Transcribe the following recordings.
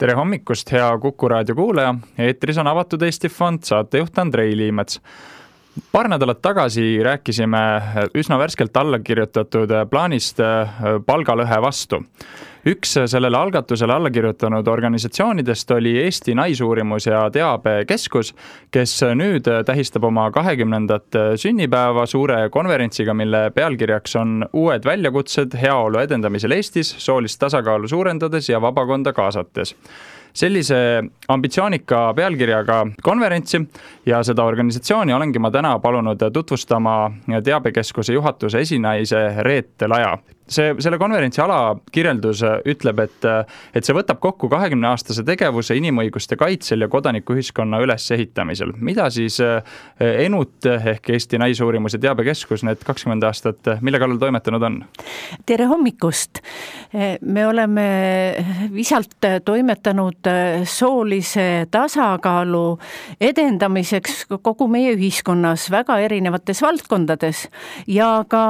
Tere hommikust, hea Kuku raadio kuulaja. Eetris on Avatud Eesti Fond, saatejuht Andrei Liimets. Paar nädalat tagasi rääkisime üsna värskelt alla kirjutatud plaanist palgalõhe vastu. Üks sellele algatusele alla kirjutanud organisatsioonidest oli Eesti Naisuurimus- ja Teabekeskus, kes nüüd tähistab oma 20. sünnipäeva suure konverentsiga, mille pealkirjaks on uued väljakutsed heaolu edendamisel Eestis, soolist tasakaalu suurendades ja vabakonda kaasates. Sellise ambitsioonika pealkirjaga konverentsi ja seda organisatsiooni olengi ma täna palunud tutvustama Teabekeskuse juhatuse esinaise Reet Laja. Selle konverentsi alakirjeldus ütleb, et see võtab kokku 20-aastase tegevuse inimõiguste kaitsel ja kodanikuühiskonna ülesehitamisel. Mida siis ENUT ehk Eesti Naisuurimus- ja Teabekeskus need 20 aastat, mille kallal toimetanud on? Tere hommikust! Me oleme visalt toimetanud soolise tasakaalu edendamiseks kogu meie ühiskonnas väga erinevates valdkondades ja ka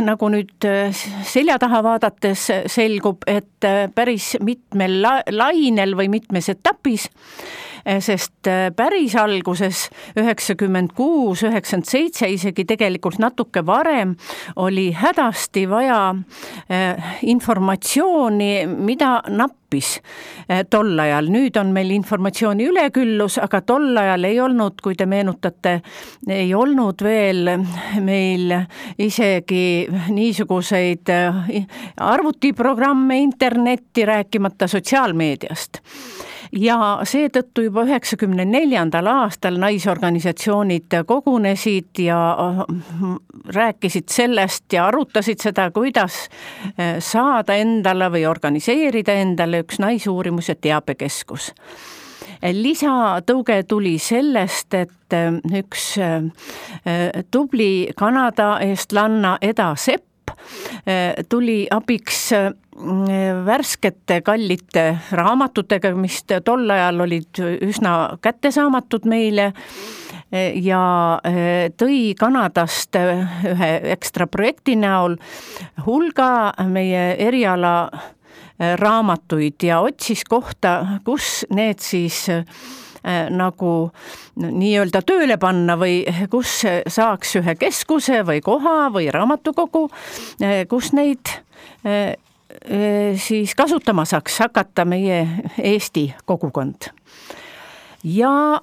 nagu nüüd selja taha vaadates selgub, et päris mitmel lainel või mitmes etapis, sest päris alguses 96, 97, isegi tegelikult natuke varem oli hädasti vaja informatsiooni, mida nappis tol ajal. Nüüd on meil informatsiooni üleküllus, aga tol ajal ei olnud, kui te meenutate, ei olnud veel meil isegi niisuguseid arvutiprogramme, internetti, rääkimata sotsiaalmeediast. Ja seetõttu juba 94. aastal naisorganisatsioonid kogunesid ja rääkisid sellest ja arutasid seda, kuidas saada endale või organiseerida endale üks naisuurimus- ja teabekeskus. Lisatõuge tuli sellest, et üks tubli Kanada eestlanna Eda Sepp tuli abiks värskete kallite raamatutega, mis tol ajal olid üsna kättesaamatud meile ja tõi Kanadast ühe ekstra projekti näol hulga meie eriala raamatuid ja otsis kohta, kus need siis nagu nii-öelda tööle panna või kus saaks ühe keskuse või koha või raamatukogu, kus neid siis kasutama saaks hakata meie Eesti kogukond. Ja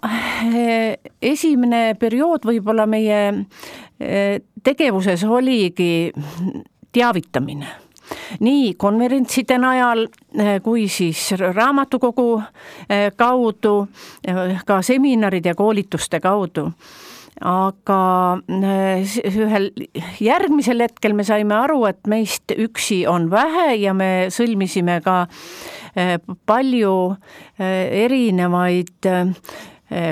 esimene periood võib-olla meie tegevuses oligi teavitamine. Nii konverentside najal kui siis raamatukogu kaudu, ka seminaride ja koolituste kaudu. Aga ühel järgmisel hetkel me saime aru, et meist üksi on vähe ja me sõlmisime ka palju erinevaid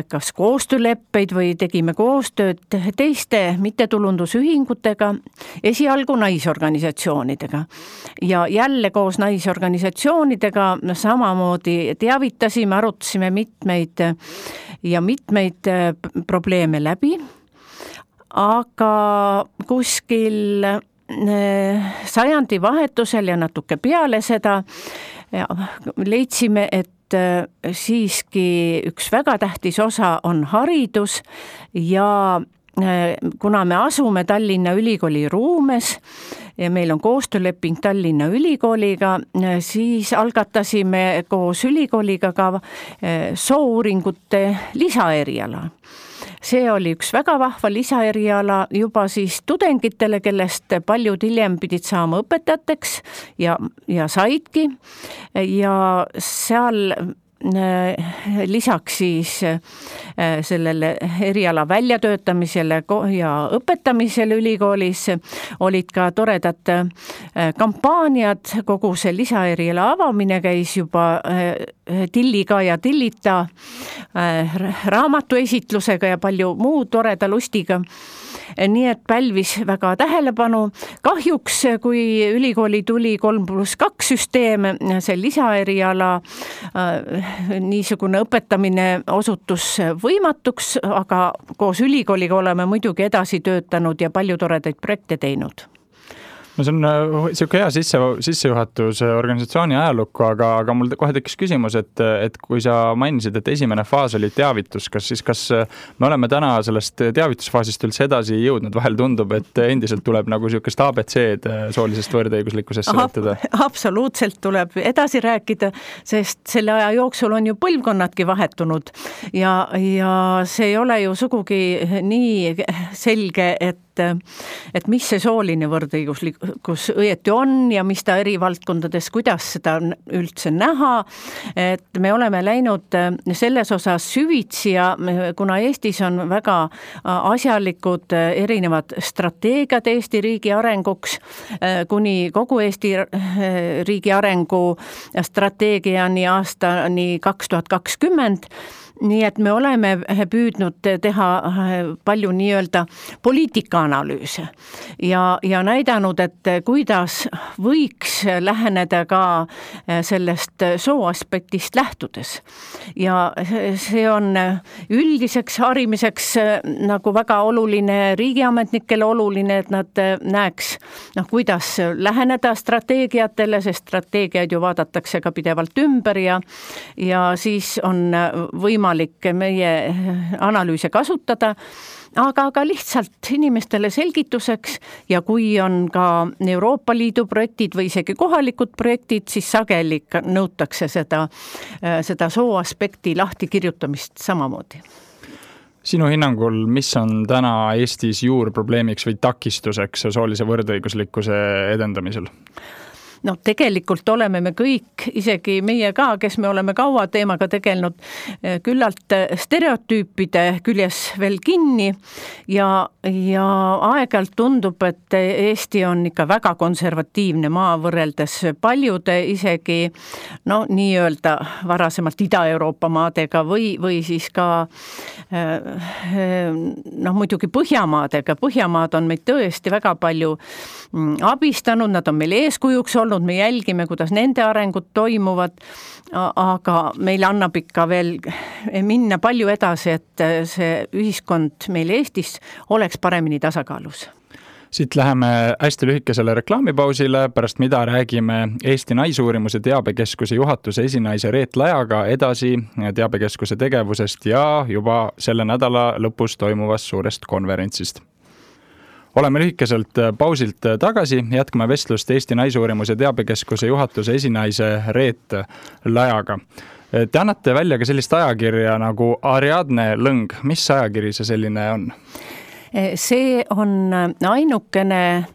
kas koostööleppeid või tegime koostööd teiste mittetulundusühingutega, esialgu naisorganisatsioonidega. Ja jälle koos naisorganisatsioonidega samamoodi teavitasime, arutasime mitmeid probleeme läbi, aga kuskil sajandi vahetusel ja natuke peale seda leidsime, et siiski üks väga tähtis osa on haridus ja kuna me asume Tallinna Ülikooli ruumes ja meil on koostööleping Tallinna Ülikooliga, siis algatasime koos ülikooliga ka soouuringute lisaeriala. See oli üks väga vahva lisaeriala juba siis tudengitele, kellest paljud hiljem pidid saama õpetajateks ja saidki ja seal lisaks siis sellele eriala väljatöötamisele ja õpetamisele ülikoolis olid ka toredad kampaaniad, kogu see lisaeriala avamine käis juba Tilliga ja Tillita raamatuesitlusega ja palju muu toreda lustiga. Nii et pälvis väga tähelepanu. Kahjuks, kui ülikooli tuli 3+2 süsteem, see lisaeriala niisugune õpetamine osutus võimatuks, aga koos ülikooliga oleme muidugi edasi töötanud ja palju toredaid projekte teinud. No see on siuke hea sissejuhatus organisatsiooni ajalukku, aga mul kohe tekkis küsimus, et kui sa mainisid, et esimene faas oli teavitus, kas me oleme täna sellest teavitusfaasist üldse edasi jõudnud? Vahel tundub, et endiselt tuleb nagu siukest ABC-d soolisest võrdõiguslikkusest seletada. Absoluutselt tuleb edasi rääkida, sest selle aja jooksul on ju põlvkonnadki vahetunud ja see ei ole ju sugugi nii selge, et mis see sooline võrdõiguslikkus õieti on ja mis ta eri valdkondades, kuidas seda üldse näha, et me oleme läinud selles osas süvitsi ja kuna Eestis on väga asjalikud erinevad strateegiad Eesti riigi arenguks, kuni kogu Eesti riigi arengu strateegiani aastani 2020, nii et me oleme püüdnud teha palju nii-öelda poliitikaanalüüse ja näidanud, et kuidas võiks läheneda ka sellest sooaspektist lähtudes. Ja see on üldiseks harimiseks nagu väga oluline, riigiametnikele oluline, et nad näeks, kuidas läheneda strateegiatele, sest strateegiaid ju vaadatakse ka pidevalt ümber ja siis on võimalik meie analüüse kasutada, aga ka lihtsalt inimestele selgituseks ja kui on ka Euroopa Liidu projektid või isegi kohalikud projektid, siis sageli nõutakse seda sooaspekti lahtikirjutamist samamoodi. Sinu hinnangul, mis on täna Eestis juurprobleemiks või takistuseks soolise võrdõiguslikkuse edendamisel? No tegelikult oleme me kõik, isegi meie ka, kes me oleme kaua teemaga tegelenud, küllalt stereotüüpide küljes veel kinni ja aeg-ajalt tundub, et Eesti on ikka väga konservatiivne maa võrreldes paljude isegi nii-öelda varasemalt Ida-Euroopa maadega või siis ka muidugi Põhjamaadega. Põhjamaad on meid tõesti väga palju abistanud, nad on meil eeskujuks olnud, me jälgime, kuidas nende arengud toimuvad, aga meil annab ikka veel minna palju edasi, et see ühiskond meil Eestis oleks paremini tasakaalus. Siit läheme hästi lühikesele reklaamipausile, pärast mida räägime Eesti Naisuurimuse teabekeskuse juhatuse esinaise Reet Lajaga edasi teabekeskuse tegevusest ja juba selle nädala lõpus toimuvast suurest konverentsist. Oleme lühikeselt pausilt tagasi, jätkame vestlust Eesti Naisuurimuse teabekeskuse juhatuse esinaise Reet Lajaga. Te annate välja ka sellist ajakirja nagu Ariadne Lõng. Mis ajakiri see selline on? See on ainukene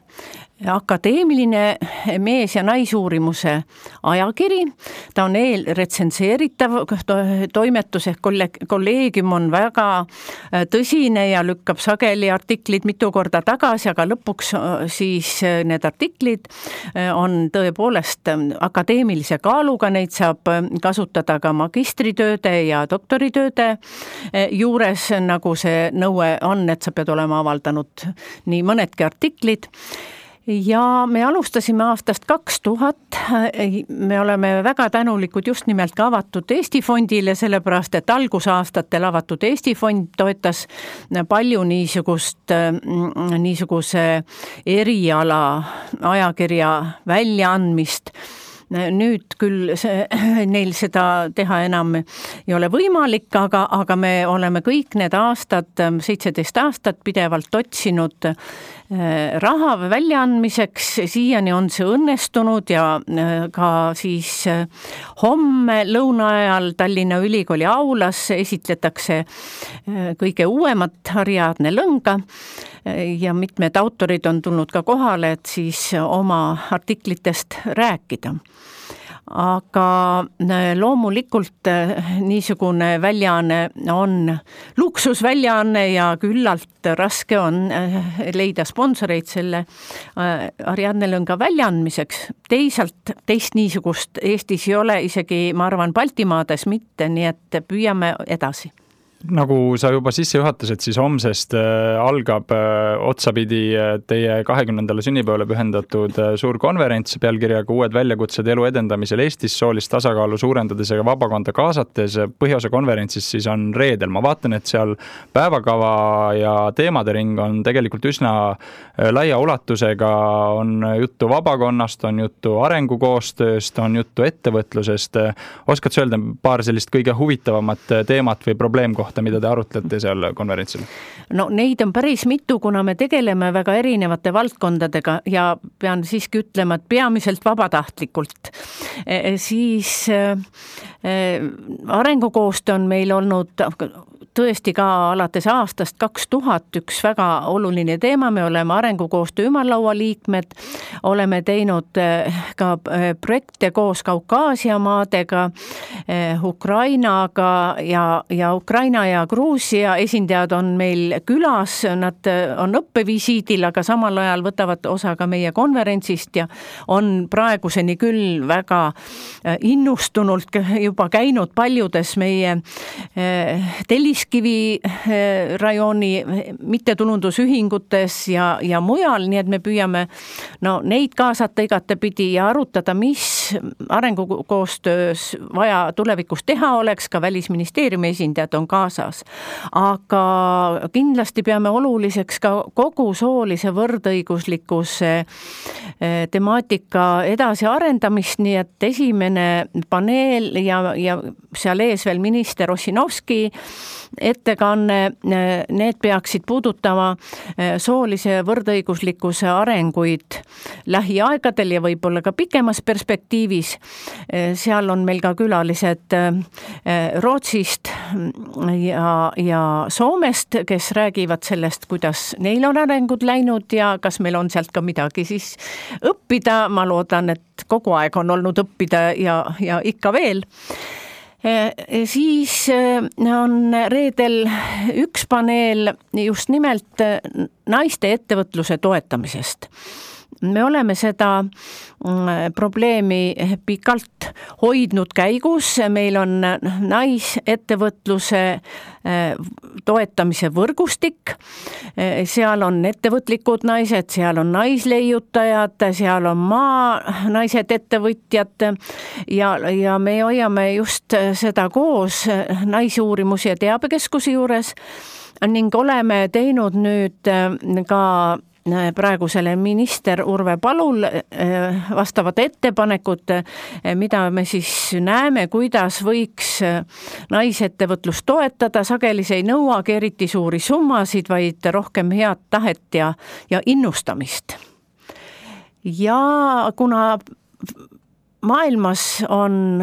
akadeemiline mees- ja naisuurimuse ajakiri. Ta on eelretsenseeritav toimetus ehk kolleegium on väga tõsine ja lükkab sageli artiklid mitu korda tagasi, aga lõpuks siis need artiklid on tõepoolest akadeemilise kaaluga, neid saab kasutada ka magistritööde ja doktoritööde juures, nagu see nõue on, et sa pead olema avaldanud nii mõnedki artiklid. Ja me alustasime aastast 2000, me oleme väga tänulikud just nimelt ka Avatud Eesti fondile, sellepärast et algusaastatel Avatud Eesti fond toetas palju niisuguse eriala ajakirja väljaandmist. Nüüd küll neil seda teha enam ei ole võimalik, aga me oleme kõik need aastad, 17 aastat pidevalt otsinud raha väljaandmiseks, siiani on see õnnestunud ja ka siis homme lõuna ajal Tallinna Ülikooli aulas esitletakse kõige uuemat Ariadne Lõnga ja mitmed autorid on tulnud ka kohale, et siis oma artiklitest rääkida. Aga loomulikult niisugune väljaanne on luksusväljaanne ja küllalt raske on leida sponsoreid selle Ariadne Lõnga väljaandmiseks. Teist niisugust Eestis ei ole, isegi ma arvan Baltimaades mitte, nii et püüame edasi. Nagu sa juba sisse juhatasid, siis homsest algab otsapidi teie 20. sünnipäevale pühendatud suur konverents pealkirjaga Uued väljakutsed elu edendamisel Eestis, soolist tasakaalu suurendades ja vabakonda kaasates. Põhiosa konverentsis siis on reedel. Ma vaatan, et seal päevakava ja teemade ring on tegelikult üsna laia ulatusega. On juttu vabakonnast, on juttu arengukoostööst, on juttu ettevõtlusest. Oskad sa öelda paar sellist kõige huvitavamat teemat või probleemkohta, mida te arutlete seal konverentsil? No neid on päris mitu, kuna me tegeleme väga erinevate valdkondadega ja pean siiski ütlema, et peamiselt vabatahtlikult. Siis arengukoostöö on meil olnud tõesti ka alates aastast 2000 üks väga oluline teema. Me oleme arengukoostöö ümarlaua liikmed, oleme teinud ka projekte koos Kaukaasia maadega, Ukrainaga ja Ukraina ja Gruusia esindajad on meil külas, nad on õppevisiidil, aga samal ajal võtavad osa ka meie konverentsist ja on praeguseni küll väga innustunult juba käinud paljudes meie Telliskivi rajooni mittetulundusühingutes ja mujal, nii et me püüame neid kaasata igatepidi ja arutada, mis arengukoostöös vaja tulevikus teha oleks, ka Välisministeeriumi esindajad on kaasas. Aga kindlasti peame oluliseks ka kogu soolise võrdõiguslikkuse temaatika edasi arendamist, nii et esimene paneel ja seal ees veel minister Ossinovski ettekanne, need peaksid puudutama soolise võrdõiguslikkuse arenguid lähiaegadel ja võib-olla ka pikemas perspektiivis. Seal on meil ka külalised Rootsist ja Soomest, kes räägivad sellest, kuidas neil on arengud läinud ja kas meil on sealt ka midagi siis õppida. Ma loodan, et kogu aeg on olnud õppida ja ikka veel. Siis on reedel üks paneel just nimelt naiste ettevõtluse toetamisest. Me oleme seda probleemi pikalt hoidnud käigus. Meil on naisettevõtluse toetamise võrgustik. Seal on ettevõtlikud naised, seal on naisleiutajad, seal on naised ettevõtjad ja me hoiame just seda koos Naisuurimusi ja teabekeskuse juures ning oleme teinud nüüd ka praegusele minister Urve Palul vastavad ettepanekud, mida me siis näeme, kuidas võiks naisettevõtlust toetada. Sageli see ei nõuagi eriti suuri summasid, vaid rohkem head tahet ja innustamist. Ja kuna maailmas on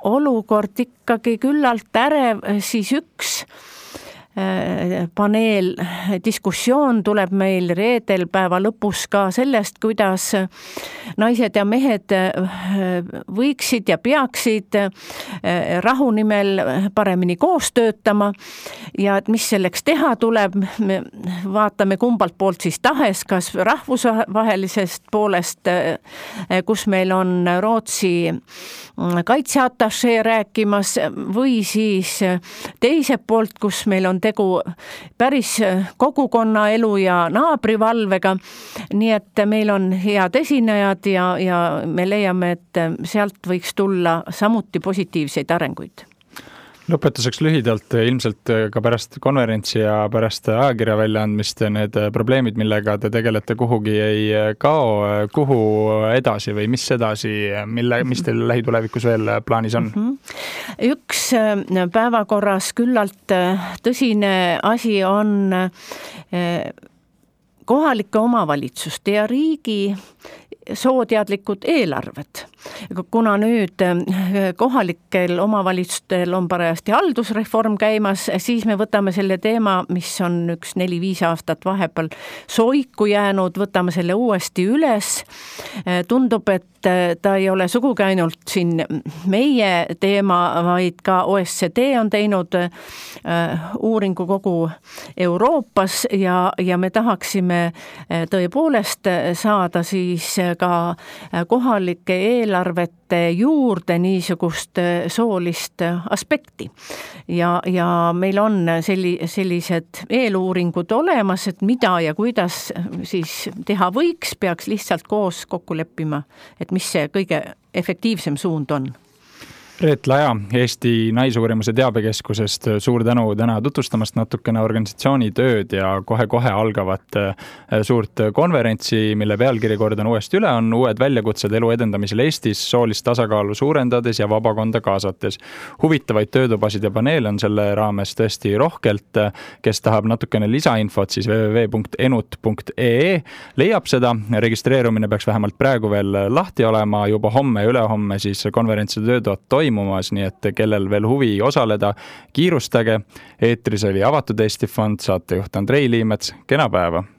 olukord ikkagi küllalt ärev, siis üks paneel diskussioon tuleb meil reedel päeva lõpus ka sellest, kuidas naised ja mehed võiksid ja peaksid rahu nimel paremini koos töötama ja et mis selleks teha tuleb. Me vaatame kumbalt poolt siis tahes, kas rahvusvahelisest poolest, kus meil on Rootsi kaitseatašee rääkimas või siis teiselt poolt, kus meil on tegu päris kogukonna elu ja naabrivalvega. Nii et meil on head esinejad ja me leiame, et sealt võiks tulla samuti positiivseid arenguid. Lõpetuseks lühidalt, ilmselt ka pärast konverentsi ja pärast ajakirja väljaandmist need probleemid, millega te tegelete, kuhugi ei kao, kuhu edasi või mis edasi, mis teil lähitulevikus veel plaanis on? Üks päevakorras küllalt tõsine asi on kohalike omavalitsuste ja riigi sooteadlikud eelarved. Kuna nüüd kohalikel omavalitsustel on parajasti haldusreform käimas, siis me võtame selle teema, mis on 4-5 aastat vahepeal soiku jäänud, võtame selle uuesti üles. Tundub, et ta ei ole sugugi ainult siin meie teema, vaid ka OECD on teinud uuringu kogu Euroopas ja me tahaksime tõepoolest saada siis ka kohalike eelarvete eelarvete juurde niisugust soolist aspekti. Ja meil on sellised eeluuringud olemas, et mida ja kuidas siis teha võiks, peaks lihtsalt koos kokku leppima, et mis see kõige efektiivsem suund on. Reet Laja Eesti Naisuurimuse Teabekeskusest, suur tänu täna tutvustamast natukene organisatsiooni tööd ja kohe-kohe algavat suurt konverentsi, mille pealkiri kordan uuesti üle, on uued väljakutsed elu edendamisel Eestis, soolist tasakaalu suurendades ja vabakonda kaasates. Huvitavaid töötubasid ja paneele on selle raames tõesti rohkelt. Kes tahab natukene lisainfot, siis www.enut.ee leiab seda. Registreerumine peaks vähemalt praegu veel lahti olema, juba homme ja ülehomme siis konverentside tööd toimumas, nii et kellel veel huvi osaleda, kiirustage. Eetris oli Avatud Eesti Fond, saatejuht Andrei Liimets, kena päeva!